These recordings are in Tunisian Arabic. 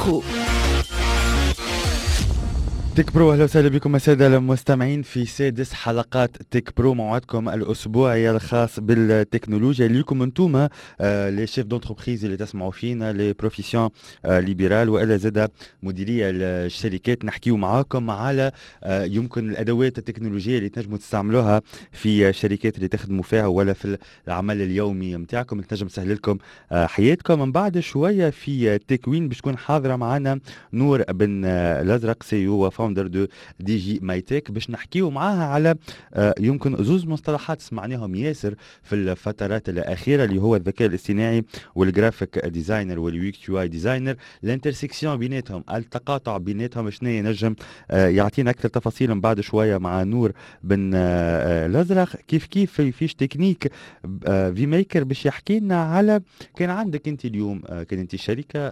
Pro. Tech Pro، اهلا وسهلا بكم السادة المستمعين في سادس حلقات Tech Pro، موعدكم الاسبوعي الخاص بالتكنولوجيا ليكم انتوما les chefs d'entreprise اللي تسمعوا فينا، les professions libérales والا زاده مديرية الشركات. نحكيو معاكم على يمكن الادوات التكنولوجية اللي تنجموا تستعملوها في الشركات اللي تخدموا فيها ولا في العمل اليومي نتاعكم، اللي تنجم تسهل لكم حياتكم. من بعد شوية في تكوين باش تكون حاضره معنا نور بن الازرق، CEO و founder de Digi My Tech، باش نحكيو معاها على يمكن زوز مصطلحات سمعناهم ياسر في الفترات الاخيره، اللي هو الذكاء الاصطناعي وال graphic designer وال UX UI designer، l'intersection بيناتهم، التقاطع بيناتهم شنو ينجم يعطينا اكثر تفاصيل من بعد شوية مع نور بن الازرق. كيف كيف في fiche technique Vmaker باش يحكي لنا على كان عندك انت اليوم كان انت شركة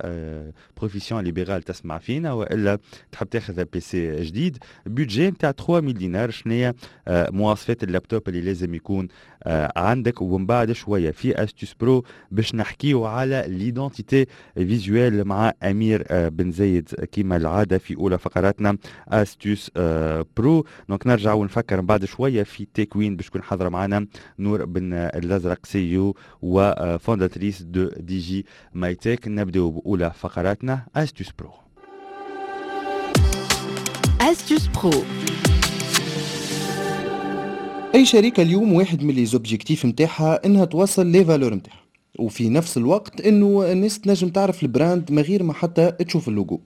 profession libérale تسمع فينا والا تحب تاخذ PC جديد، budget نتاع 3000 دينار، شنو مواصفات اللابتوب اللي لازم يكون عندك. ومن بعد شوية في astuce pro باش نحكيو على l'identité visuelle مع امير بن زايد كيما العادة في اولى فقراتنا astuce pro. donc نرجع ونفكر من بعد شوية في تكوين باش تكون حاضره معنا نور بن الازرق، CEO و fondatrice de Digi My Tech. نبداو باولى فقراتنا astuce pro. Astuce Pro. اي شركة اليوم واحد من les objectifs نتاعها انها توصل les valeurs نتاعها، وفي نفس الوقت انه الناس تنجم تعرف ال brand من غير ما حتى تشوف اللوجو.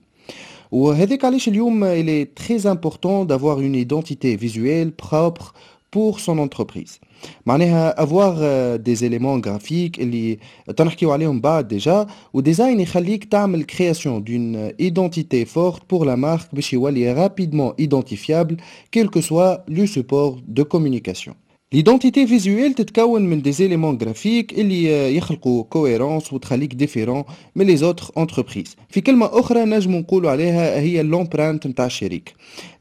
وهذاك علاش اليوم il est très important d'avoir une identité visuelle propre pour son entreprise. معناها avoir des éléments graphiques اللي تنحكيو عليهم بعد déjà، و design يخليك تعمل création d'une identité forte pour la marque باش يولي rapidement identifiable quel que soit le support de communication. L'identité visuelle تتكون من des éléments graphiques اللي يخلقوا cohérence وتخليك différent من les autres entreprises. في كلمة أخرى نجم نقولوا عليها هي l'empreinte نتاع الشركة.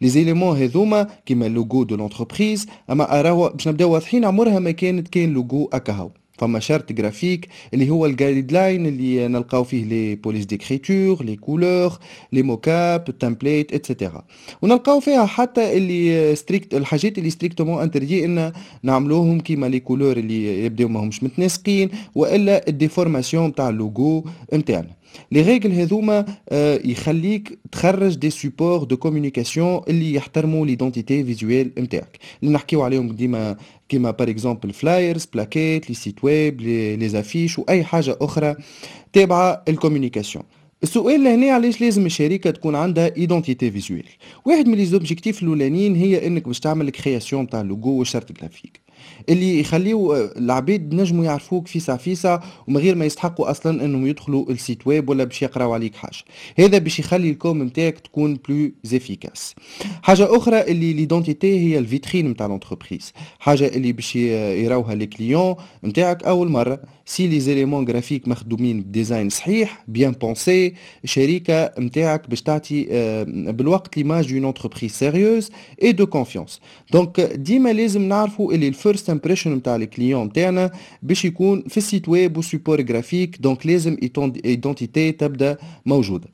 Les éléments هذوما كيما logo de l'entreprise، أما أراهو باش نبداو واضحين عمرها ما كانت كان لوجو أكاهو. فما charte graphique اللي هو ال guideline اللي نلقاو فيه les polices d'écriture، les couleurs، les mockups، ال template et cetera، ونلقاو فيها حتى اللي strict الحاجات اللي strictement interdit ان نعملوهم كيما les couleurs اللي يبداو ماهمش متناسقين والا ال déformation تاع اللوجو نتاعنا. les règles هذوما يخليك تخرج des supports de communication اللي يحترموا l'identité visuelle نتاعك اللي نحكيو عليهم ديما، كيما par exemple flyers، plaquettes، les sites web، les affiches واي حاجة اخرى تابعه ال communication. السؤال لهنا علاش لازم الشركة تكون عندها identité visuelle؟ واحد من les objectifs الاولانيين هي انك باش تعمل création تاع ال logo وال charte graphique اللي يخليو العباد نجموا يعرفوك فيسع فيسع ومن غير ما يستحقوا اصلا انهم يدخلوا ال site web ولا باش يقراو عليك حاجة. هذا باش يخلي ال com نتاعك تكون plus efficace. حاجة اخرى اللي l'identité هي الفيترين نتاع l'entreprise، حاجة اللي باش يراوها les clients نتاعك اول مرة. si les éléments graphiques مخدومين ب design صحيح bien pensé، الشركة نتاعك باش تعطي بالوقت l'image d'une entreprise sérieuse et de confiance. donc ديما لازم نعرفوا اللي ال first impression نتاع ال client نتاعنا باش يكون في ال site web و support graphique، donc لازم identité تبدا موجودة.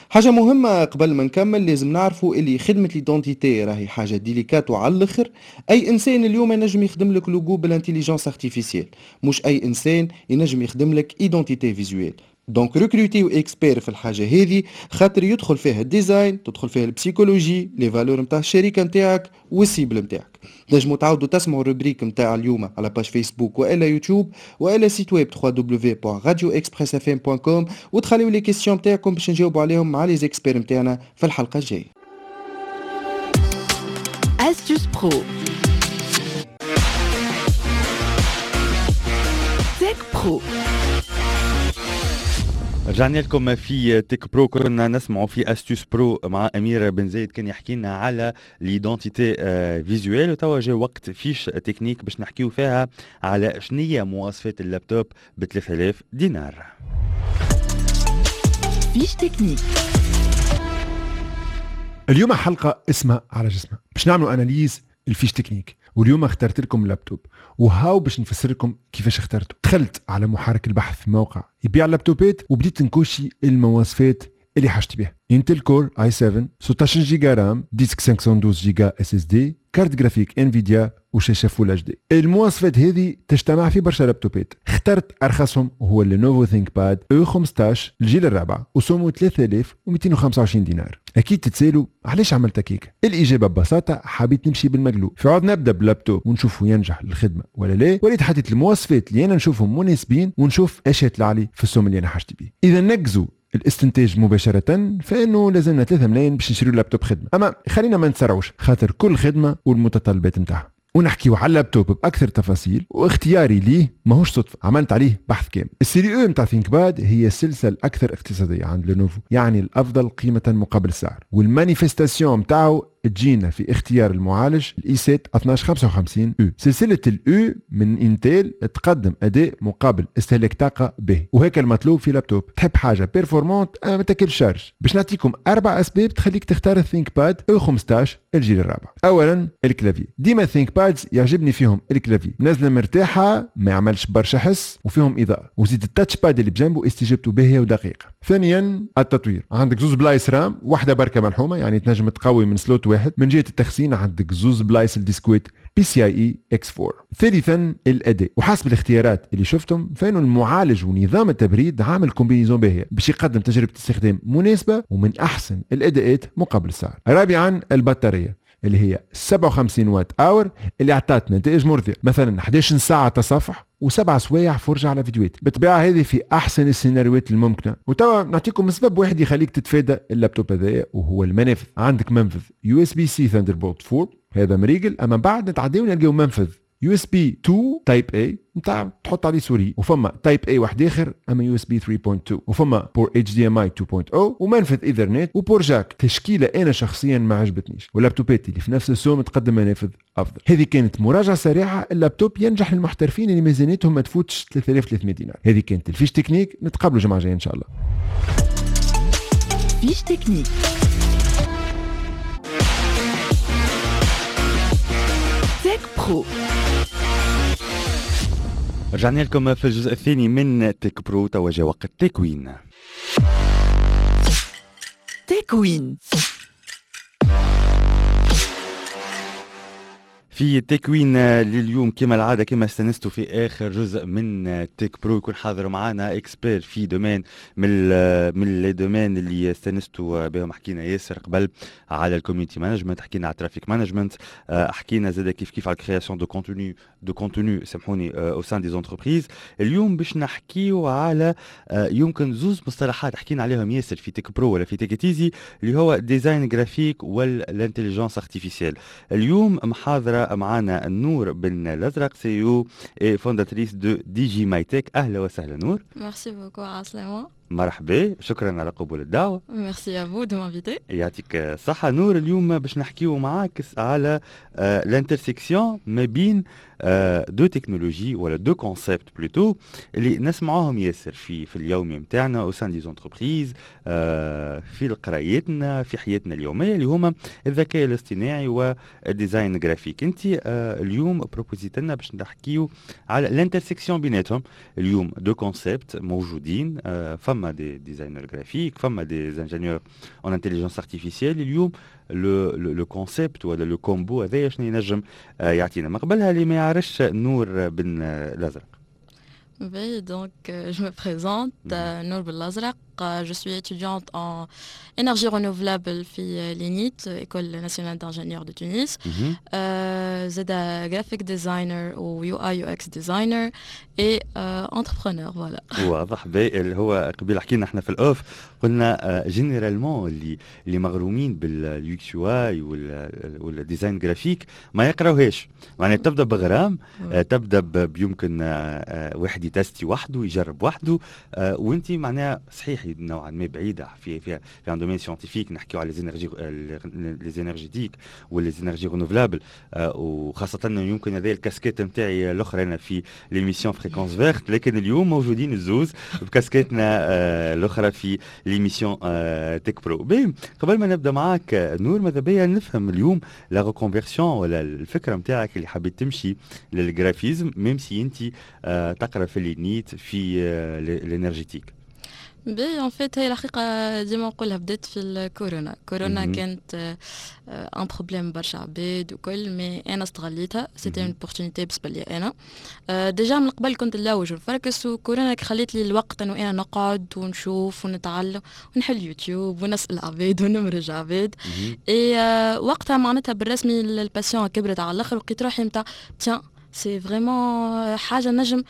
حاجة مهمة قبل ما نكمل، لازم نعرفوا اللي خدمة l'identité راهي حاجة délicate وعلى الاخر. اي انسان اليوم ينجم يخدم لك logo بال intelligence artificielle، مش اي انسان ينجم يخدم لك identité visuelle. donc recrutez expert في الحاجة هذه، خاطر يدخل فيها ال design، تدخل فيها ال psychologie، les valeurs نتاع الشركة نتاعك وال cible نتاعك. تنجموا تعاودوا تسمعوا ال rubrique نتاع اليوم على page Facebook والا يوتيوب والا site web www.radioexpressfm.com وتخليو les questions نتاعكم باش نجاوبوا عليهم مع les experts نتاعنا في الحلقة الجاية. Astuce Pro. Tech Pro. رجعنا لكم في Tech Pro. كنا نسمع في astuce pro مع امير بن زايد، كان يحكي لنا على l'identité visuelle، وتوا جا وقت fiche technique باش نحكيو فيها على شنية مواصفات اللابتوب ب 3000 دينار. fiche technique. اليوم حلقة اسمها على جسمها باش نعملوا analyse ال fiche technique، واليوم اخترت لكم لابتوب وهاو باش نفسر لكم كيفاش اخترته. دخلت على محرك البحث في موقع يبيع اللابتوبات وبديت نكوشي المواصفات اللي حاجتي بها. Intel Core i7، 16 giga RAM، disque 512 giga SSD، carte graphique Nvidia وشاشه Full HD. المواصفات هذه تجتمع في برشا لابتوبات، اخترت ارخصهم وهو Lenovo ThinkPad E15 الجيل الرابع وسومه 3225 دينار. اكيد تتسالوا علاش عملت هكاك؟ الاجابة ببساطة حبيت نمشي بالمقلوب، في عوض نبدا بلابتوب ونشوفه ينجح للخدمة ولا لا، وليت حطيت المواصفات اللي انا نشوفهم مناسبين ونشوف ايش يطلع لي في السوم اللي انا حاجتي بيه. اذا نقزوا الاستنتاج مباشرة فإنه لازمنا 3 ملايين باش نشريو لابتوب خدمة، أما خلينا ما نتسرعوش خاطر كل خدمة والمتطلبات نتاعها. ونحكيو على اللابتوب باكثر تفاصيل، واختياري ليه ماهوش صدفة، عملت عليه بحث كامل. ال série E نتاع ThinkPad هي السلسلة الاكثر اقتصادية عند Lenovo، يعني الافضل قيمة مقابل السعر، وال manifestation نتاعو تجينا في اختيار المعالج ال i7 1255 U. سلسلة ال U من Intel تقدم اداء مقابل استهلاك طاقة باهي، وهيك المطلوب في لابتوب. تحب حاجة performante ما تاكلش charge. باش نعطيكم 4 اسباب تخليك تختار ال ThinkPad E15 الجيل الرابع. اولا ال clavier، ديما ThinkPads يعجبني فيهم ال clavier، نازله مرتاحة ما يعملش برشا حس وفيهم اضاءه، وزيد ال touchpad اللي بجنبه استجابته باهيه ودقيقة. ثانيا التطوير، عندك زوز بلايص RAM، واحدة بركة ملحومه يعني تنجم تقوي من slot واحد. من جهة التخزين عندك زوز بلايص الديسكويت PCIe x4. ثالثا الاداء، وحسب الاختيارات اللي شفتهم فانه المعالج ونظام التبريد عامل combinaison باهيه باش يقدم تجربه استخدام مناسبة ومن احسن الاداءات مقابل السعر. رابعا البطارية اللي هي 57 watt hour اللي اعطت نتائج مرضية، مثلا 11 ساعة تصفح و7 سوايع فرجه على فيديوهات. بالطبيعة هذه في احسن السيناريوهات الممكنة. وتوا نعطيكم سبب واحد يخليك تتفادى اللابتوب هذايا وهو المنافذ. عندك منفذ USB-C Thunderbolt 4 هذا مريقل، اما بعد نتعداو نلقاو منفذ USB 2 Type A نتاع تحط عليه souris، وفما Type A واحد اخر اما USB 3.2، وفما port HDMI 2.0 ومنفذ ايثرنت و port jack. تشكيله انا شخصيا ما عجبتنيش، واللابتوبات اللي في نفس السوم تقدم منافذ افضل. هذه كانت مراجعه سريعة. اللابتوب ينجح للمحترفين اللي ميزانيتهم ما تفوتش 3300 دينار. هذه كانت ال fiche technique، نتقابلوا الجمعة الجاية ان شاء الله. fiche technique Tech Pro. رجعنا لكم في الجزء الثاني من Tech Pro. توا جا وقت تكوين. تكوين. في تكوين لليوم كما العادة كما استنستوا في اخر جزء من Tech Pro يكون حاضر معنا expert في domaine من les domaines اللي استنستوا بهم. حكينا ياسر قبل على ال community management، حكينا على ال traffic management، حكينا زاد كيف كيف على ال création de contenu سامحوني au sein des entreprises. اليوم باش نحكيو على يمكن زوز مصطلحات حكينا عليهم ياسر في Tech Pro ولا في Tech It Easy، اللي هو design graphique وال intelligence artificielle. اليوم محاضرة معنا نور بن الازرق، CEO et fondatrice de Digi My Tech. اهلا وسهلا نور. merci beaucoup عسلامة. مرحبا، شكرا على قبول الدعوة. merci à vous de m'inviter. يعطيك الصحة نور. اليوم باش نحكيو معاك على l'intersection ما بين deux technologies ولا deux concepts plutôt اللي نسمعوهم ياسر في اليومي نتاعنا au sein des entreprises، في قرايتنا، في حياتنا اليومية، اللي هما الذكاء الاصطناعي وال design graphique. انت اليوم proposيت لنا باش نحكيو على l'intersection بيناتهم. اليوم deux concepts موجودين، فما des designers graphiques، فما des ingénieurs en intelligence artificielle. اليوم le concept ولا le combo هذايا شنو ينجم يعطينا؟ ما قبلها اللي ما يعرفش نور بن الازرق. Oui, donc je me présente, Nour Belazraq. Je suis étudiante en énergie renouvelable في l'ENIT, École nationale d'ingénieurs de Tunis. زادا graphic designer و UI UX designer et entrepreneur, voilà. واضح. اللي هو قبيل حكينا احنا في ال off، قلنا généralement اللي مغرومين بال UX UI وال design graphique ما يقراوهاش، معناها تبدا بغرام، تبدا بيمكن واحد يتستي وحده، يجرب وحده، وانت معناها صحيح نوعا ما بعيدة في un domaine scientifique، نحكيو على les énergies les énergétiques و les énergies renouvelables، وخاصة يمكن هذه الكاسكيت نتاعي الاخرى انا في l'émission Fréquence Verte، لكن اليوم موجودين الزوز بكاسكيتنا الاخرى في l'émission Tech Pro. باهي، قبل ما نبدا معاك نور، ماذا بيا نفهم اليوم la reconversion ولا الفكرة نتاعك اللي حبيت تمشي لل graphisme même si انت تقرا في l'ENIT في l'énergétique. باهي، en fait هي الحقيقة ديما نقولها، بدات في الكورونا. كورونا كانت un problème برشا عباد وكل، mais انا استغليتها، c'était une opportunité بالنسبة لي. انا déjà من قبل كنت نلوج ونفركس، وكورونا خليت لي الوقت انه انا نقعد ونشوف ونتعلم ونحل يوتيوب ونسال عباد ونمرج عباد. et وقتها معناتها بالرسمي ال passion كبرت على الاخر، ولقيت روحي نتاع tiens، c'est vraiment حاجة نجم،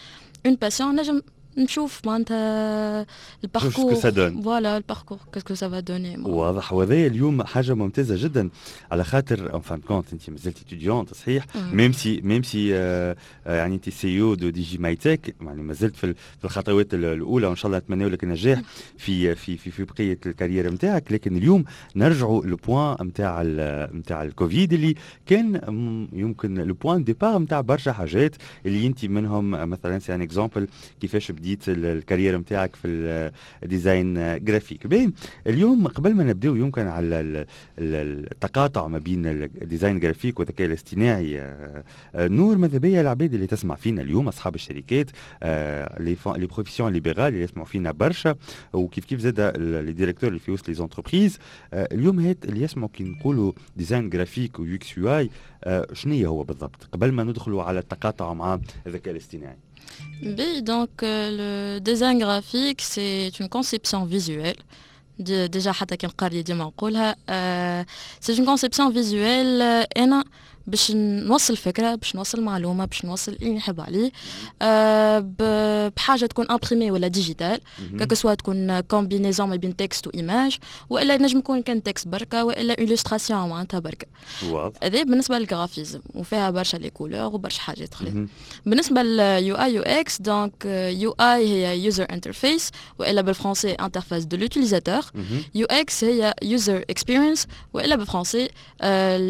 une passion، نجم نشوف معناتها ال parcours، voilà، ال parcours qu'est-ce que ça va donner. واضح، وهذا اليوم حاجة ممتازة جدا على خاطر en fin de compte انت مازلت étudiante، صحيح، même si يعني انت CEO de Digi My Tech، يعني مازلت في الخطوات الاولى، وان شاء الله نتمنى لك النجاح في بقية ال carrière نتاعك. لكن اليوم نرجعوا le point نتاع الكوفيد اللي كان يمكن le point de départ نتاع برشا حاجات اللي انت منهم مثلا، c'est un exemple كيفاش بديت ال carrière نتاعك في ال design graphique. باهي، اليوم قبل ما نبداو يمكن على التقاطع ما بين ال design graphique والذكاء الاصطناعي، نور، ماذا بيا العباد اللي تسمع فينا اليوم، اصحاب الشركات، les professions libérales اللي يسمعوا فينا برشا، وكيف كيف زاد les directeurs اللي في وسط les entreprises، اليوم هات اللي يسمعوا كي نقولوا design graphique و UX UI، شنو هو بالضبط قبل ما ندخلوا على التقاطع مع الذكاء الاصطناعي؟ Oui, donc le design graphique, c'est une conception visuelle. Déjà, حتى كي نقري ديما نقولها، c'est une conception visuelle. انا باش نوصل فكره، باش نوصل معلومه، باش نوصل اللي نحب عليه بحاجة تكون imprimée ولا digitale، que ce soit تكون combinaison ما بين texte و image، والا نجم يكون كان texte بركه، والا illustration معناتها بركه. هذا بالنسبة لل graphisme، وفيها برشا les couleurs وبرشا حاجات اخرين. بالنسبة لل UI UX، donc UI هي user interface، والا بالفرنسي interface de l'utilisateur. UX هي user experience، والا بالفرنسي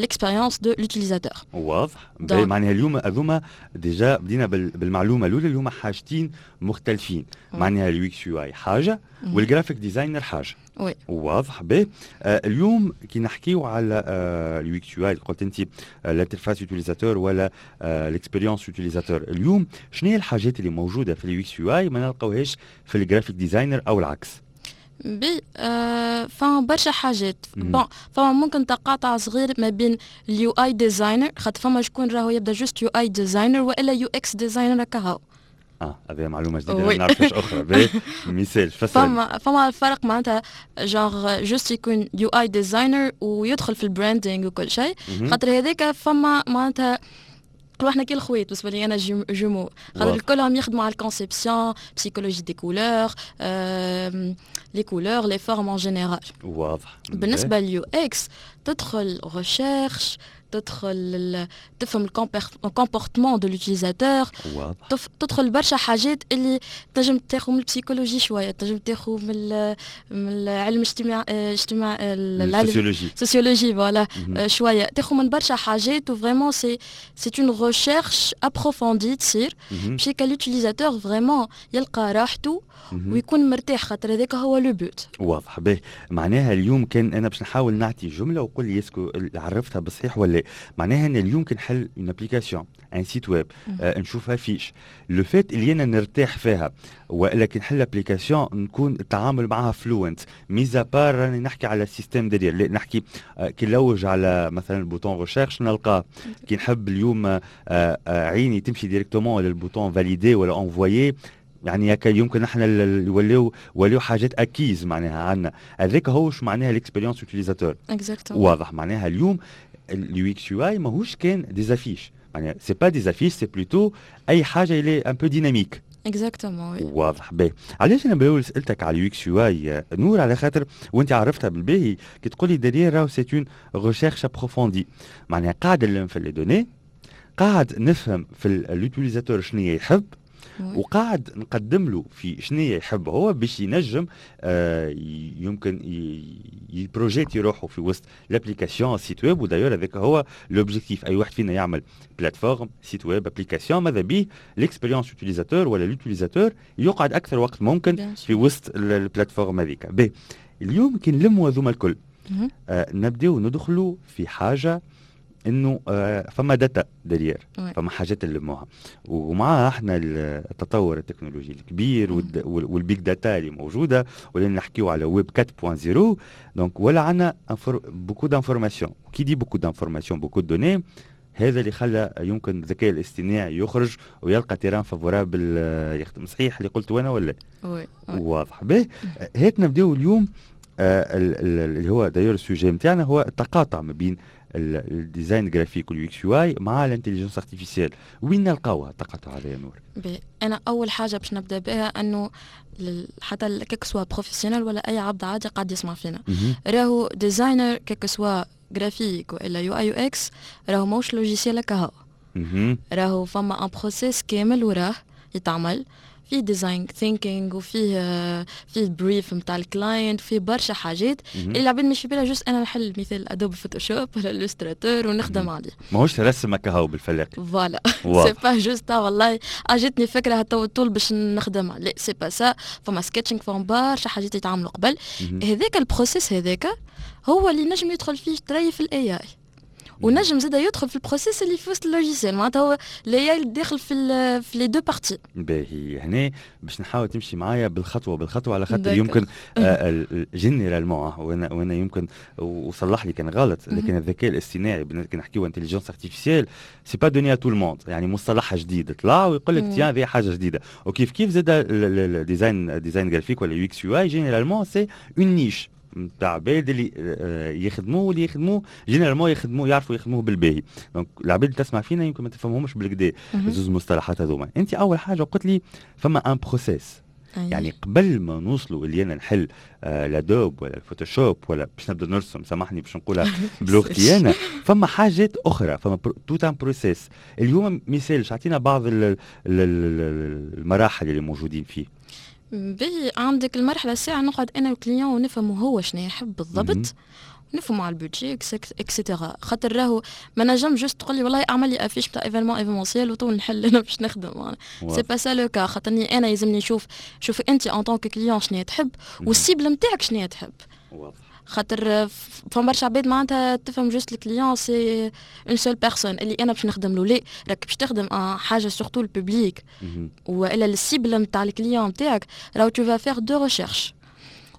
l'expérience de l'utilisateur. واضح. معناها اليوم هذوما déjà بدينا بالمعلومه الاولى اللي هما حاجتين مختلفين، معناها ال UX UI حاجة وال graphic designer حاجه. oui. واضح. باهي، اليوم كي نحكيو على ال UX UI، قلت انت l'interface utilisateur ولا l'expérience utilisateur، اليوم شنو هي الحاجات اللي موجودة في ال UX UI ما نلقاوهاش في ال graphic designer او العكس؟ باهي، فما برشا حاجات. bon، فما ممكن تقاطع صغير ما بين ال UI designer، خاطر فما شكون راهو يبدا juste UI designer والا UX designer كهو. اه، هذه معلومة جديده، ما نعرفش اخرى. باهي، مثال فسر. فما الفرق، معناتها genre juste يكون UI designer ويدخل في ال branding وكل شيء، خاطر هذاك فما معناتها نقولوا احنا كي الخويت، بالنسبة لي انا jumeaux، خاطر كلهم يخدموا على ال conception، psychologie des couleurs، les couleurs، les formes en général. بالنسبة لل UX تدخل recherche، تدخل تفهم ال comportement de l'utilisateur، تدخل برشا حاجات اللي تنجم تاخذ من ال psychologie شويه، تنجم تاخذ من العلم اجتماع ال sociologie. sociologie، voilà، شوية تاخذ من برشا حاجات، و vraiment c'est une recherche approfondie تصير باش l'utilisateur vraiment يلقى راحته ويكون مرتاح، خاطر هذاك هو le but. واضح. باهي، معناها اليوم كان انا باش نحاول نعطي جملة وقول لي est-ce que عرفتها بالصحيح ولا. معناها ان اليوم كي نحل une application، un site web، نشوفها affiche، le fait اللي انا نرتاح فيها، والا كي نحل application نكون التعامل معها fluent، mis à part راني نحكي على ال système derrière، نحكي كي نلوج على مثلا bouton recherche نلقاه، كي نحب اليوم عيني تمشي directement لل bouton valider ولا envoyer، يعني هكا يمكن احنا ولاو حاجات acquises معناها عندنا. هذاك هو معناها l'expérience utilisateur. exactement. واضح. معناها اليوم ال UX UI ماهوش كان des affiches، معناها c'est pas des affiches، c'est plutôt اي حاجة اللي un peu dynamique. exactement، oui. واضح. باهي، علاش انا بالاول سالتك على ال UX UI نور؟ على خاطر وانت عرفتها بالباهي كي تقولي derrière راهو c'est une recherche approfondie، معناها قاعد نلم في les données، قاعد نفهم في l'utilisateur شنو يحب، وقاعد نقدم له في شنو يحب هو باش ينجم يمكن ي projeter روحه في وسط l'application، site web. و d'ailleurs هذاك هو l'objectif، اي واحد فينا يعمل plateforme، site web، application، ماذا بيه l'expérience utilisateur ولا l'utilisateur يقعد اكثر وقت ممكن في وسط ال plateforme هذيك. باهي، اليوم كي نلموا هذوما الكل نبداو ندخلوا في حاجة انه فما data derrière، فما حاجات نلموها، ومع احنا التطور التكنولوجي الكبير وال big data اللي موجوده، ولينا نحكيو على ويب 4.0، donc ولا عندنا beaucoup d'informations. qui dit beaucoup d'informations، beaucoup de données. هذا اللي خلى يمكن الذكاء الاصطناعي يخرج ويلقى terrain favorable يخدم. صحيح اللي قلت انا ولا؟ oui. واضح. به، هات نبداو اليوم اللي هو d'ailleurs ال sujet نتاعنا هو التقاطع ما بين ال design graphique وال UX UI مع ال intelligence artificielle. وين نلقاوها التقاطع هذا يا نور؟ انا اول حاجة باش نبدا بها انه حتى que ce soit professionnel ولا اي عبد عادي قاعد يسمع فينا، راهو designer que ce soit graphique والا UI UX راهو موش logiciel كهو، راهو فما un processus كامل وراه يتعمل فيه design thinking وفيه فيه brief نتاع ال client، فيه برشا حاجات اللي العباد مش في بالها. juste انا نحل مثال Adobe Photoshop ولا Illustrator ونخدم عليه. ماهوش رسم كهو بالفلاق. voilà، c'est pas juste والله اجتني فكرة تو طول باش نخدمها، لا، c'est pas ça. فما sketching، فما برشا حاجات يتعملوا قبل. هذاك ال processus هذاك هو اللي نجم يدخل فيه تري في ال AI، ونجم زاد يدخل في ال processus اللي في وسط ال logiciel، معناتها هو ال AI داخل في les deux parties. باهي، هنا باش نحاول تمشي معايا بالخطوه بالخطوه، على خاطر يمكن généralement وانا يمكن وصلح لي كان غلط، لكن الذكاء الاصطناعي كي نحكيو intelligence artificielle، c'est pas donné à tout le monde. يعني مصطلح جديد طلع ويقول لك tiens هذه حاجة جديده. وكيف كيف زاد ال design graphique ولا UX UI، généralement c'est une niche نتاع عباد اللي يخدموه، واللي يخدموه généralement يخدموه يعرفوا يخدموه بالباهي. donc العباد اللي تسمع فينا يمكن ما تفهمهمش بالكدا زوز المصطلحات هذوما. انت اول حاجة قلت لي فما un processus. يعني قبل ما نوصلوا اللي انا نحل l'Adobe ولا ال Photoshop ولا باش نبدا نرسم، سامحني باش نقولها بلغتي انا، فما حاجات اخرى، فما tout un processus. اليوم مثال اعطينا بعض المراحل اللي موجودين فيه. باهي، عندك المرحلة الساعة نقعد أنا وال client ونفهموا هو شنو يحب بالضبط، نفهموا على ال budget et cetera، خاطر راهو ما نجم juste تقول لي والله اعمل لي affiche تاع événement événementiel وطول نحل انا باش نخدم. c'est pas ça le cas، خاطرني انا يلزمني نشوف شوف انت en tant que client شنو تحب وال cible نتاعك شنو تحب. خاطر فما برشا عباد معناتها تفهم juste ال client c'est une seule personne اللي انا باش نخدم له. لا، راك باش تخدم حاجة surtout ال public والا ال cible نتاع ال client نتاعك، راهو tu vas faire des recherches،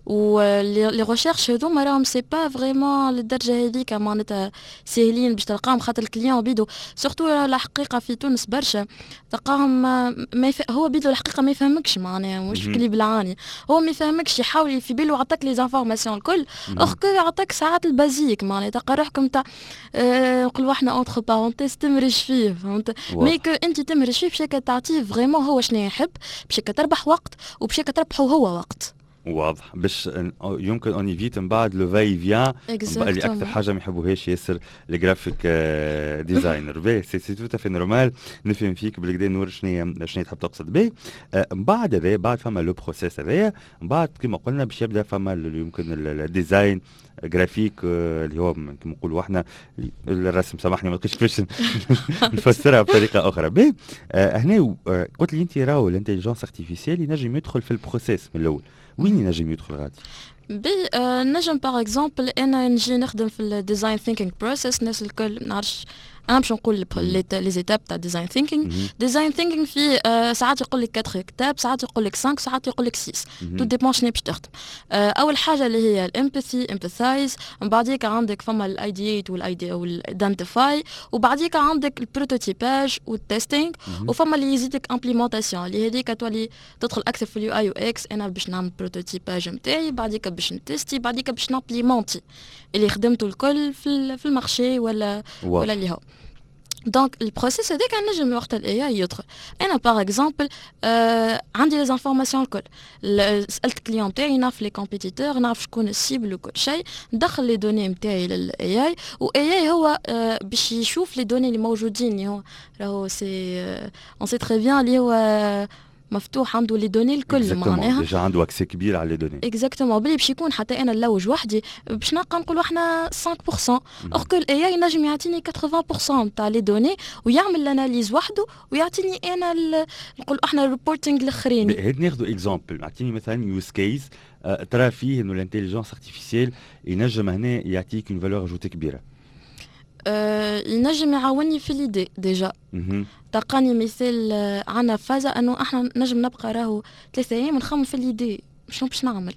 و les recherches هذوما راهم c'est pas vraiment للدرجة هذيك معناتها ساهلين باش تلقاهم، خاطر ال client بيدو surtout الحقيقة في تونس برشا تلقاهم ما هو بيدو الحقيقة ما يفهمكش، معناها مش كلي بالعاني، هو ما يفهمكش، يحاول في بالو عطاك les informations الكل، or que عطاك ساعات ال basique. معناها تلقى روحك نتاع نقولوا احنا entre parenthèses تمرج فيه، فهمت؟ mais que انت تمرج فيه باش تعطيه vraiment هو شنو يحب، باش تربح وقت وباش تربحه هو وقت. واضح، باش يمكن on évite من بعد le va-et-vient اللي اكثر حاجة ما يحبوهاش ياسر ال graphic designer. باهي، c'est tout à fait normal. نفهم فيك بالكدا نور شنو تحب تقصد. به، من بعد هذا، بعد فما le processus هذايا، من بعد كما قلنا باش يبدا فما يمكن ال design graphique اللي هو كما نقولوا احنا الرسم، سامحني ما لقيتش كيفاش نفسرها بطريقة اخرى. باهي، هنا قلت لي انت راهو l'intelligence artificielle ينجم يدخل في ال processus من الاول. وين ينجم يدخل غادي؟ بي نجم par exemple انا نجي نخدم في ال design thinking process. الناس الكل نعرفش، انا باش نقول les étapes تاع design thinking. design thinking في ساعات يقول لك 4 étapes، ساعات يقول لك 5، ساعات يقول لك 6، tout dépend شنو باش تخدم. اول حاجة اللي هي ال empathy، empathize، من بعديك عندك فما ال ideate وال idea وال identify، وبعديك عندك ال prototypage وال testing، وفما اللي يزيدك implémentation اللي هذيك تولي تدخل اكثر في ال UI UX. انا باش نعمل prototypage نتاعي، بعديك باش نتستي، بعديك باش نامبليمونتي اللي خدمته الكل في ال marché ولا اللي هو. donc ال processus هذاك نجم وقت ال AI يدخل. انا par exemple عندي les informations الكل، سالت ال client تاعي، نعرف les compétiteurs، نعرف شكون ال cible وكل شيء، ندخل les données نتاعي لل AI، و AI هو باش يشوف les données اللي موجودين، اللي هو راهو c'est on sait très bien اللي هو مفتوح عنده les données الكل. معناها déjà عنده accès كبير على les données. exactement، بلي باش يكون حتى انا نلوج وحدي باش نلقى نقولوا احنا 5%، or que ال AI ينجم يعطيني 80% تاع les données ويعمل l'analyse وحده ويعطيني انا نقول احنا ال reporting الاخرين. هاد ناخذ exemple، اعطيني مثلا use case ترى فيه انه l'intelligence artificielle ينجم هنا يعطيك une valeur ajoutée كبيره. ينجم يعاوني في l'idée déjà. تلقاني مثال عندنا فازة انه احنا نجم نبقى راهو 3 ايام نخمم في l'idée، شنو باش نعمل.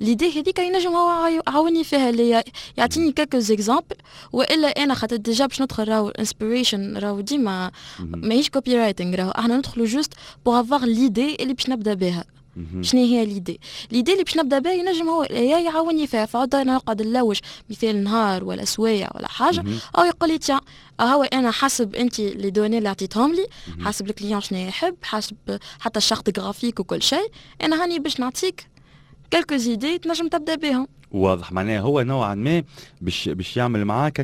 l'idée هذيك ينجم هو يعاوني فيها، اللي يعطيني quelques exemples، والا انا خاطر déjà باش ندخل راهو inspiration، راهو ديما ماهيش copywriting، راهو احنا ندخلوا juste pour avoir l'idée اللي باش نبدا بها. شنو هي l'idée؟ l'idée اللي باش نبدا بها ينجم هو يعاوني فيها، فعوض انا نقعد نلوج مثال نهار ولا سوايع ولا حاجه، او يقول لي tiens، هو انا حسب انت les données اللي عطيتهم لي، حسب ال client شنو يحب، حسب حتى ال charte graphique وكل شيء، انا هاني باش نعطيك quelques idées تنجم تبدا بهم. واضح، معناها هو نوعا ما باش يعمل معاك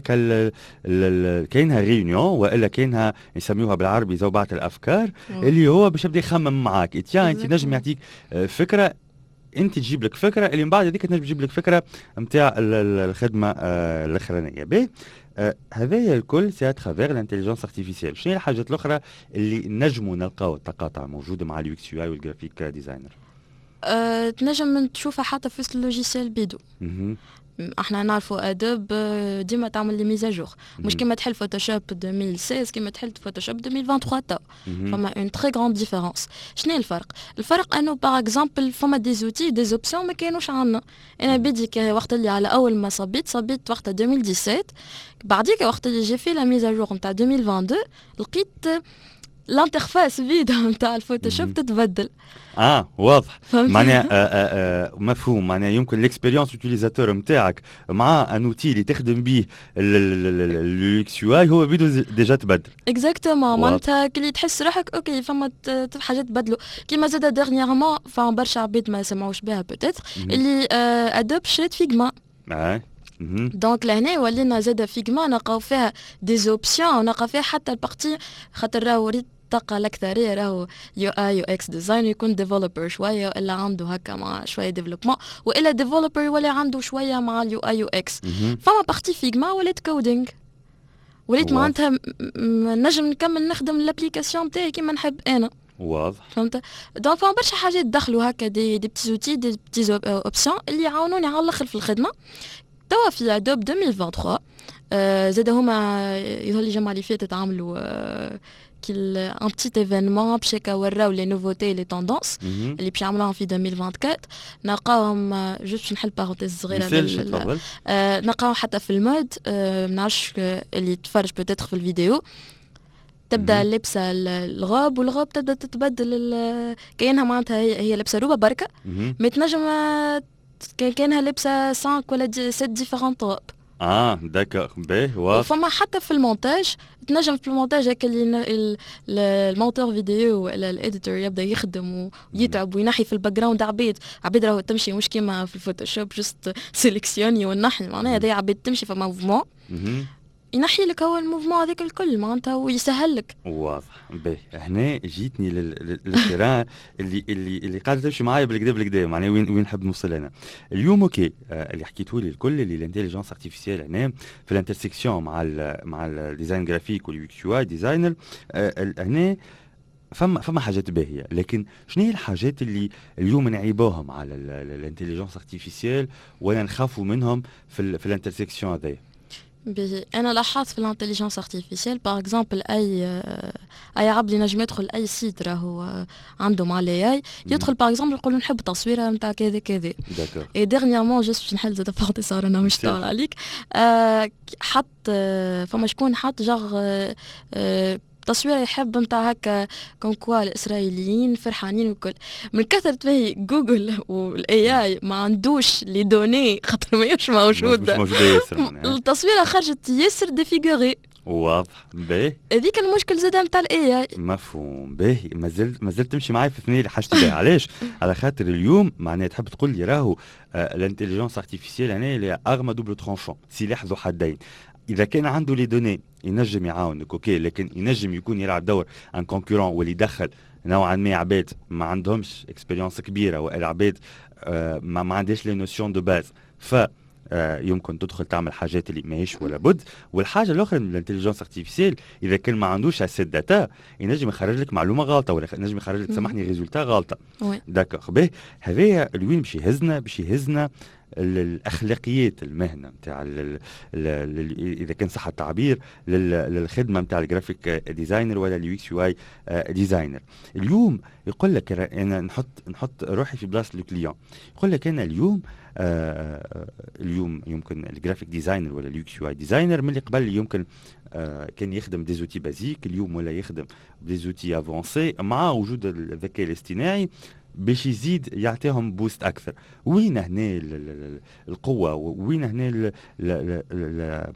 كاينها réunion والا كاينها يسميوها بالعربي زوبعة الافكار، اللي هو باش يبدا يخمم معاك. tiens، انت نجم يعطيك فكره، انت تجيب لك فكره، اللي من بعد هذيك تنجم تجيب لك فكرة نتاع الخدمة الاخرانيه. باهي، هذايا الكل c'est à travers l'intelligence artificielle. شنو هي الحاجات الاخرى اللي نجموا نلقاو التقاطع موجودة مع ال UX UI وال graphic designer؟ تنجم تشوفها حتى في ال logiciel بيدو. احنا نعرفوا Adobe ديما تعمل les mises à jour، مش كيما تحل Photoshop 2016 كيما تحل Photoshop 2023، تو فما une très grande différence. شنو الفرق؟ الفرق انه par exemple فما des outils، des options ما كانوش عندنا. انا بيدي وقت اللي على اول ما صبيت، صبيت وقت 2017، بعديك وقت اللي j'ai fait la mise à jour نتاع 2022 لقيت l'interface بيدها نتاع ال Photoshop تتبدل. اه واضح، معناها مفهوم، معناها يمكن l'expérience utilisateur نتاعك مع un outil اللي تخدم به ال UX UI هو بيدو déjà تبدل. exactement، معناتها كلي تحس روحك OK فما حاجات تبدلوا. كيما زاد dernièrement فما برشا عباد ما سمعوش بها peut-être، اللي Adobe شريت Figma. Donc لهنا ولينا زاد Figma نلقاو فيها des options، نلقاو فيها حتى ال partie، خاطر راهو ريت الطاقة الأكثرية راهو UI UX design يكون développeur شوية، والا عنده هكا مع شوية développement، والا développeur ولا عنده شوية مع ال UI UX. فما partie Figma ولات coding، وليت معناتها نجم نكمل نخدم l'application تاعي كيما نحب انا. فهمت؟ donc فما برشا حاجات دخلوا هكا des petits outils، des petites options اللي يعاونوني على الاخر في الخدمه. توا في Adobe 2023 زاد هما يظهر لي الجمعة اللي فاتت عملوا كل un petit événement باش هكا وراو les nouveautés، les tendances اللي باش يعملوهم في 2024. نلقاوهم، juste باش نحل parenthèse صغيره، نلقاو حتى في ال mode، ما نعرفش اللي تفرج peut-être في الفيديو، تبدا لابسه ال robe وال robe تبدا تتبدل، كاينها معناتها هي لابسه روبه بركه، mais تنجم كانها لابسه 5 ولا 7 différentes robes. اه d'accord، باهي، واضح. وفما حتى في المونتاج، تنجم في المونتاج هكا اللي ال monteur vidéo ولا ال éditeur يبدا يخدم ويتعب وينحي في ال background عبيد، عبيد راهو تمشي، مش كيما في ال Photoshop juste sélectionner ونحي، معناها هذا عبيد تمشي، فما mouvement ينحي لك هو ال mouvement هذاك الكل معناتها ويسهل لك. واضح، باهي، هنا جيتني لل terrain اللي قاعدة تمشي معايا بالكدا بالكدا، معناها وين نحب نوصل انا اليوم. OK، اللي حكيته لي الكل اللي l'intelligence artificielle هنا في l'intersection مع ال design graphique وال UX UI designer، هنا فما حاجات باهيه، لكن شنو هي الحاجات اللي اليوم نعيبوهم على l'intelligence artificielle ولا نخافوا منهم في l'intersection هذايا؟ باهي، انا لاحظت في l'intelligence artificielle par exemple اي عبد ينجم يدخل اي site راهو عنده مع l'AI، يدخل par exemple يقول نحب تصويره نتاع كذا كذا. Et dernièrement، juste باش نحل زاد parenthèse صار انا مش طال عليك، حط فما شكون حط genre تصويره يحب نتاع هكا comme quoi الاسرائيليين فرحانين وكل، من كثرة ما Google وال AI ما عندوش les données خاطر ماهيش موجوده. مش موجودة ياسر. التصويره خرجت ياسر défigurée. واضح، باهي. هذيك المشكل زاد نتاع ال AI. مفهوم، باهي، مازلت تمشي معايا في ثنيه اللي حاجتي بها. علاش؟ على خاطر اليوم معناها تحب تقول لي راهو l'intelligence artificielle هنا اللي arme à double tranchant، سلاح ذو حدين. اذا كان عنده les données ينجم يعاونك، OK، لكن ينجم يكون يلعب دور un concurrent واللي يدخل نوعا ما عباد ما عندهمش expérience كبيرة والا عباد ما عندهاش les notions de base، ف يمكن تدخل تعمل حاجات اللي ماهيش ولا بد. والحاجة الاخرى، l'intelligence artificielle اذا كان ما عندوش assez de data ينجم يخرج لك معلومة غلطه ولا ينجم يخرج لك، سامحني، résultat غلطه. d'accord، باهي، هذايا لوين باش يهزنا؟ باش يهزنا الاخلاقيات المهنة نتاع، اذا كان صح التعبير، للخدمة نتاع ال graphic designer ولا ال UX UI designer. اليوم يقول لك انا نحط روحي في بلاصة ال client، يقول لك انا اليوم يمكن ال graphic designer ولا ال UX UI designer من اللي قبل يمكن كان يخدم des outils basiques، اليوم ولا يخدم des outils avancés. مع وجود الذكاء الاصطناعي باش يزيد يعطيهم boost اكثر. وين هنا القوه؟ وين هنا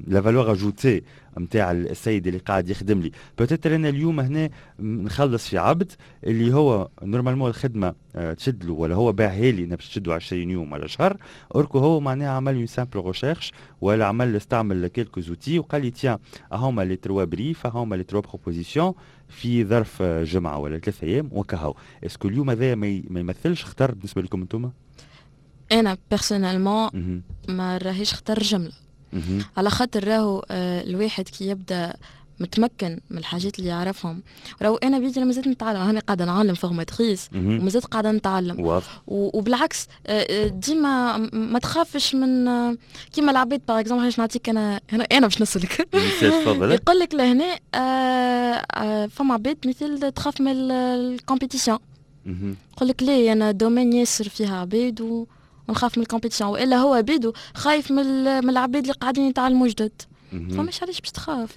la valeur ajoutée نتاع السيد اللي قاعد يخدم لي؟ peut-être انا اليوم هنا نخلص في عبد اللي هو normalement الخدمة تشد له ولا هو باعها لي باش تشدو 20 يوم ولا شهر، or que هو معناها عمل une simple recherche ولا عمل استعمل quelques outils وقال لي tiens، هما les trois briefs، هما les trois propositions، في ظرف جمعه ولا 3 ايام وكهو. est-ce que اليوم هذا ما يمثلش خطر بالنسبة لكم انتم؟ انا personnellement ما راهيش خطر جمله، على خاطر راهو الواحد كي يبدا متمكن من الحاجات اللي يعرفهم، راهو انا بيدي مازلت نتعلم، انا قاعدة نعلم، formatrice ومازلت قاعدة نتعلم. وبالعكس ديما ما تخافش من كيما العباد، par exemple باش نعطيك انا انا باش نسالك، يقول لك لهنا فما عباد مثل تخاف من ال compétition، يقول لك ليه انا domaine ياسر فيها عباد ونخاف من ال compétition، والا هو بيدو خايف من العباد اللي قاعدين يتعلموا جدد. فماش علاش باش تخاف.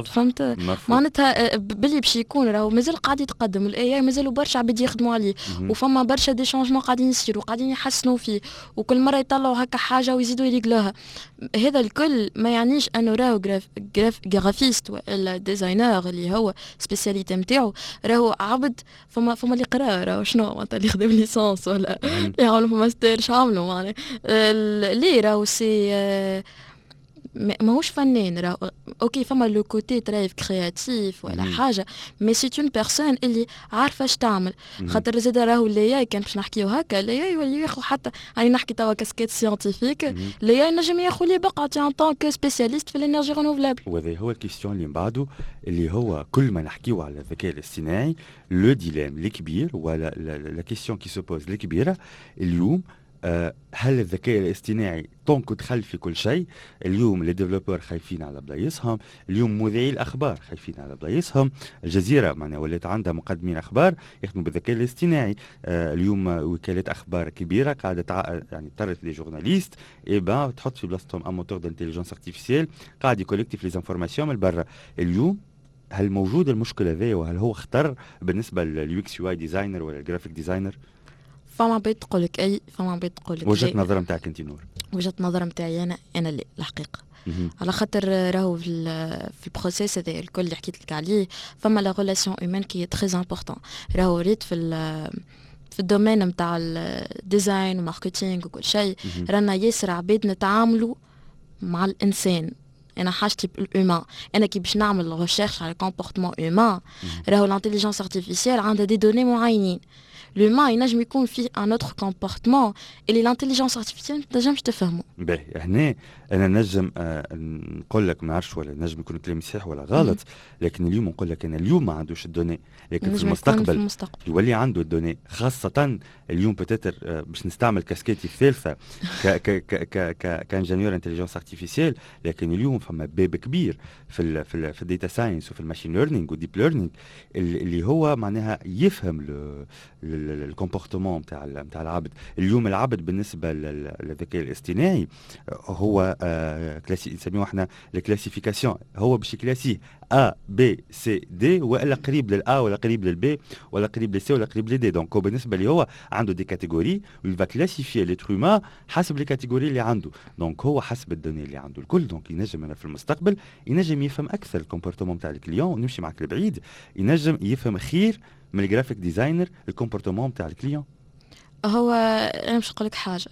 فهمت؟ معناتها باللي باش يكون راهو مازال قاعد يتقدم ال AI، مازالوا برشا عباد يخدموا عليه، وفما برشا des changements قاعدين يصيروا، قاعدين يحسنوا فيه، وكل مرة يطلعوا هكا حاجة ويزيدوا يريقلوها. هذا الكل ما يعنيش انه راهو graphiste والا designer اللي هو spécialité نتاعو راهو عبد. فما اللي قرا راهو شنو معناتها، اللي خدم licence ولا اللي عملوا ماستر، شو عملوا معناها؟ ليه راهو c'est ماهوش فنان راه. OK، فما le côté très créatif ولا حاجه، mais c'est une personne اللي عارفه اش تعمل. خاطر زاد راهو l'IA، كان باش نحكيو هكا، l'IA يولي ياخذ، حتى يعني نحكي توا casquette scientifique، l'IA نجم ياخذ لي بقعة en tant que spécialiste في l'énergie renouvelable. وهذا هو ال question اللي من بعده، اللي هو كل ما نحكيو على الذكاء الاصطناعي، le dilemme الكبير ولا la question qui se pose الكبيرة اليوم: هل الذكاء الاصطناعي tant que دخل في كل شيء، اليوم les développeurs خايفين على بلايصهم، اليوم مذيعي الاخبار خايفين على بلايصهم. الجزيرة معناها ولات عندها مقدمين اخبار يخدموا بالذكاء الاصطناعي. اليوم وكالات اخبار كبيرة قاعدة يعني اضطرت les journalistes eh ben تحط في بلاصتهم un moteur d'intelligence artificielle قاعد يكولكتي في les informations من برا. اليوم هل موجود المشكل هذا؟ وهل هو خطر بالنسبة لل UX UI designer ولا ال graphic designer؟ فما عباد تقول لك اي، فما عباد تقول لك وجهه نظر نتاعك انت نور؟ وجهه نظر نتاعي انا لا الحقيقه، على خاطر راهو في ال processus هذا الكل اللي حكيت لك عليه فما la relation humaine qui est très importante. راهو ريت في ال domaine نتاع ال design و marketing وكل شيء، رانا ياسر عباد نتعاملوا مع الانسان. انا حاجتي بال humain. انا كي باش نعمل recherche على comportement humain، راهو l'intelligence artificielle عندها des données معينين، l'humain ينجم يكون فيه un autre comportement اللي l'intelligence artificielle ما تنجمش تفهمه. باهي، هنا انا نجم نقول لك، ما نعرفش ولا نجم يكون كلامي صحيح ولا غلط، لكن اليوم نقول لك انا اليوم ما عندوش ال données، لكن في المستقبل، في المستقبل يولي عنده ال données. خاصة اليوم peut-être باش نستعمل كاسكيتي الثالثة ك ك ك ك ك ingénieur intelligence artificielle، لكن اليوم فما باب كبير في ال data science وفي ال machine learning وال deep learning اللي هو معناها يفهم ال comportement نتاع العبد. اليوم العبد بالنسبة للذكاء الاصطناعي هو classi نسميوه احنا ال classification، هو باش يكلاسيه A B C D، والا قريب لل A ولا قريب لل B ولا قريب لل C ولا قريب لل D. donc هو بالنسبة لي هو عنده des catégories و va classifier l'être humain حسب les catégories اللي عنده. donc هو حسب ال données اللي عنده الكل، donc ينجم انا في المستقبل ينجم يفهم اكثر ال comportement تاع ال client. نمشي معك لبعيد، ينجم يفهم خير من ال graphic designer ال comportement تاع ال client. هو انا باش نقول لك حاجه،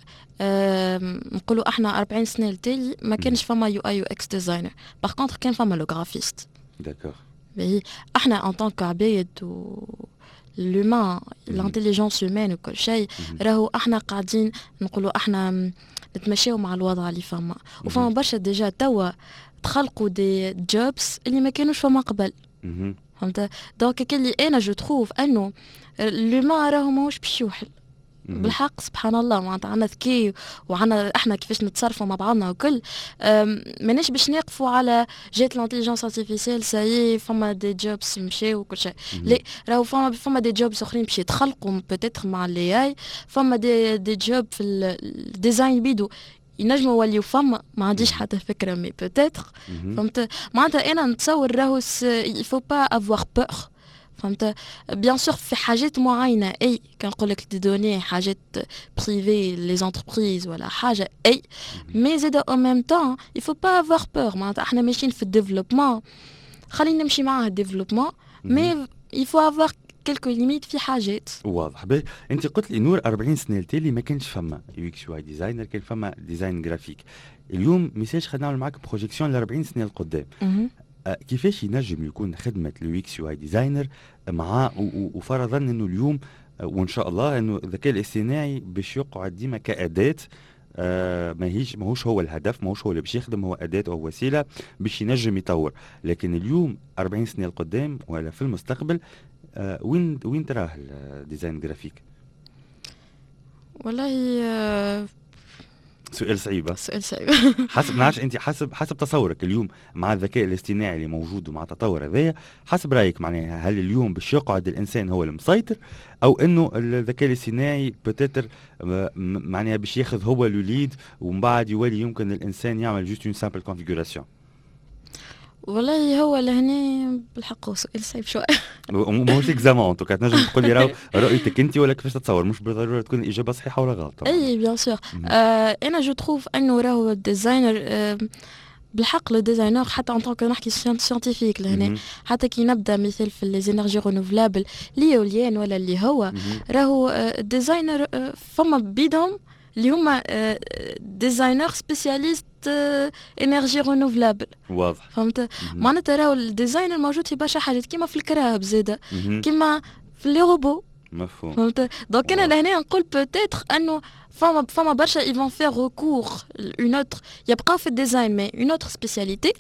نقولوا احنا 40 سنة التالي ما كانش فما UI UX designer، par contre كان فما le graphiste. باهي، احنا en tant que عباد و l'humain، l'intelligence humaine وكل شيء، راهو احنا قاعدين نقولوا احنا نتمشاو مع الوضع اللي فما، وفما برشا déjà توا تخلقوا des jobs اللي ما كانوش فما قبل، فهمت؟ donc كلي انا je trouve انه l'humain راهو ماهوش باش يوحل. بالحق سبحان الله، معناتها عندنا ذكاء وعندنا احنا كيفاش نتصرفوا مع بعضنا وكل. ماناش باش نقفوا على جات l'intelligence artificielle، ça y est، فما des jobs مشاو وكل شيء. لا، راهو فما des jobs اخرين باش يتخلقوا peut-être مع l'IA. فما des jobs في ال design بيدو ينجموا يوليو فما، ما عنديش حتى فكره، mais peut-être، فهمت؟ معناتها انا نتصور راهو il faut pas avoir peur، فهمت؟ bien sûr في حاجات معينه، اي كان نقول لك des données، حاجات privées، les entreprises ولا حاجه، اي، mais زاد en même temps il faut pas avoir peur. معناتها احنا ماشيين في ال développement، خلينا نمشي معاه ال développement، mais il faut avoir quelques limites في حاجات. واضح. باهي، انت قلت لي نور 40 سنة التالي ما كانش فما UX UI designer، كان فما design graphique. اليوم ميسالش خلينا نعمل معاك projection ل 40 سنة القدام. كيفاش ينجم يكون خدمة ال UX UI designer مع وفرضا انه اليوم وان شاء الله انه الذكاء الاصطناعي باش يقعد ديما كاداة، ماهيش ماهوش هو الهدف، ماهوش هو اللي باش يخدم، هو اداه او وسيلة باش ينجم يطور. لكن اليوم 40 سنة القدام ولا في المستقبل، وين تراه ال design graphique؟ والله سؤال صعيب. سؤال صعيب. حسب نعرفش انت، حسب تصورك اليوم مع الذكاء الاصطناعي اللي موجود ومع التطور هذايا، حسب رايك معناها هل اليوم باش يقعد الانسان هو المسيطر او انه الذكاء الاصطناعي peut-être معناها باش ياخذ هو le lead ومن بعد يولي يمكن الانسان يعمل juste une simple configuration؟ والله هو لهنا بالحق سؤال صعيب شوي. ماهوش examen، en tout cas تنجم تقول لي راهو رؤيتك انت ولا كيفاش تتصور، مش بالضرورة تكون الاجابة صحيحه ولا غلط. اي bien sûr، انا je trouve انه راهو ال designer بالحق le designer، حتى en tant que نحكي scientifique لهنا، حتى كي نبدا مثال في les énergies renouvelables، l'éolien ولا اللي هو، راهو ال designer فما بيدهم اللي هما designers spécialistes énergie renouvelable. فهمت؟ معناتها راهو ال designer موجود في برشا حاجات، كيما في الكراهب زاده، كيما في les robots. فهمت؟ donc انا لهنا نقول peut-être انه فما برشا ils vont faire recours une autre، يبقاو في ال design mais une autre spécialité.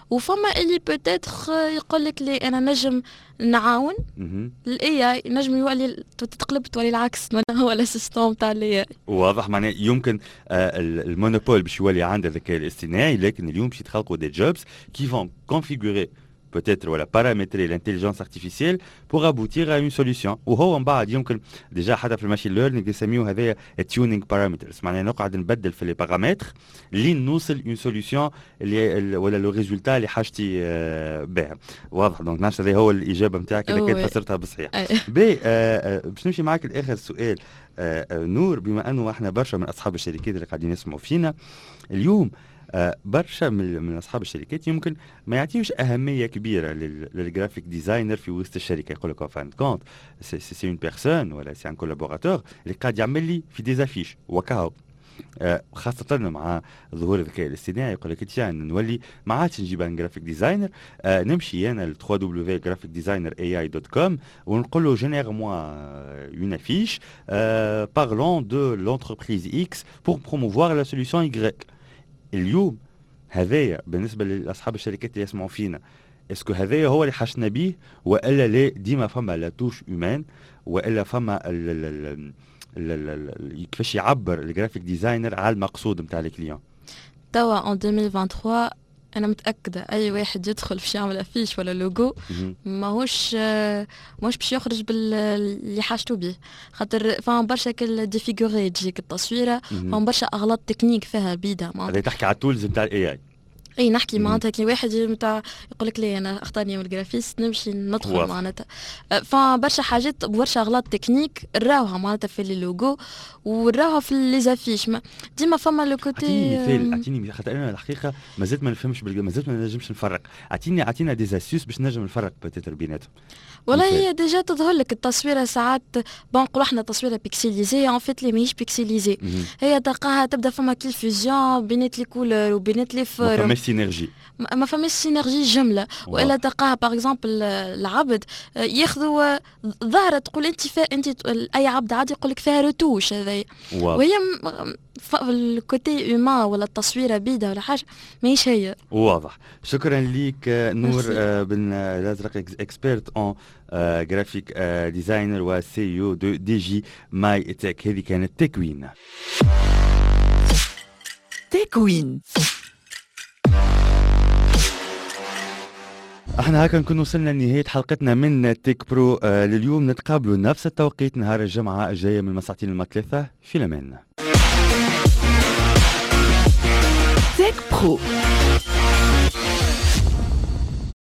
وفما اللي peut-être يقول لك لي انا نجم نعاون ال AI، نجم يولي تتقلب، تولي العكس، هو l'assistant تاع ال AI. واضح، معناه يمكن ال monopole باش يولي عند الذكاء الاصطناعي، لكن اليوم باش يتخلقوا des jobs qui vont configurer peut-être ولا paramétrer l'intelligence artificielle pour aboutir à une solution. وهو من بعد يمكن déjà حتى في ال machine learning يسميوه هذايا tuning parameters، معناها نقعد نبدل في les paramètres لين نوصل une solution اللي ولا le résultat اللي حاجتي به. واضح. donc نعرفش هذا هو الاجابة نتاعك اذا كانت فسرتها بالصحيح. باهي، باش نمشي معاك لاخر سؤال نور، بما انه احنا برشا من اصحاب الشركات اللي قاعدين يسمعوا فينا اليوم، برشا من اصحاب الشركات يمكن ما يعطيوش اهمية كبيرة لل graphic designer في وسط الشركه، يقول لك fin de compte c'est une personne ولا c'est un collaborateur اللي قاعد يعمل لي في des affiches وكاهو. خاصة مع ظهور الذكاء الاصطناعي يقول لك tiens، نولي ما عادش نجيب un graphic designer، نمشي انا ل www.graphicdesignerai.com ونقول له génère-moi une affiche parlant de l'entreprise X pour promouvoir la solution Y. اليوم هذايا بالنسبة لاصحاب الشركات اللي يسمعوا فينا، est-ce que هذايا هو اللي حاجتنا بيه والا لا ديما فما la touche humaine والا فما ال ال ال كيفاش يعبر ال graphic designer على المقصود نتاع ال client؟ توا en 2023 انا متاكدة اي واحد يدخل باش يعمل affiche ولا لوجو ماهوش باش يخرج باللي حاجته به، خاطر فما برشا كل défiguré تجيك التصويره، فما برشا اغلاط تكنيك فيها بيدا. معناتها تحكي على ال tools نتاع ال AI؟ اي نحكي، معناتها كي واحد نتاع يقول لك لي انا اختارني من ال graphiste نمشي ندخل، معناتها فما برشا حاجات، برشا اغلاط تكنيك راوها معناتها في les logos وراوها في les affiches، ديما فما le côté. اعطيني مثال، اعطيني مثال، خاطر انا الحقيقة ما زلت ما نفهمش، ما زلت ما نجمش نفرق. اعطينا des astuces باش نجم نفرق peut-être بيناتهم. والله هي déjà تظهر لك التصويره ساعات، bon نقولوا احنا تصويره pixelisée، en fait لي ماهيش pixelisée، هي تلقاها تبدا فما confusion بينات les couleurs وبينات les formes. ما فماش synergie، ما فماش synergie جمله. والا تلقاها par exemple العبد ياخذوا ظاهره، تقول انت انت اي عبد عادي يقول لك فيها رتوش هذايا، وهي ال côté humain ولا التصويره بيده ولا حاجة ماهيش هي. واضح. شكرا ليك نور بن الازرق، experte en graphic designer و CEO de Digi My Tech. هذه كانت تكوين. تكوين. احنا هكا نكون وصلنا لنهاية حلقتنا من Tech Pro لليوم. نتقابلوا نفس التوقيت نهار الجمعة الجاية من 2 ل 3. في الأمان. Tech Pro.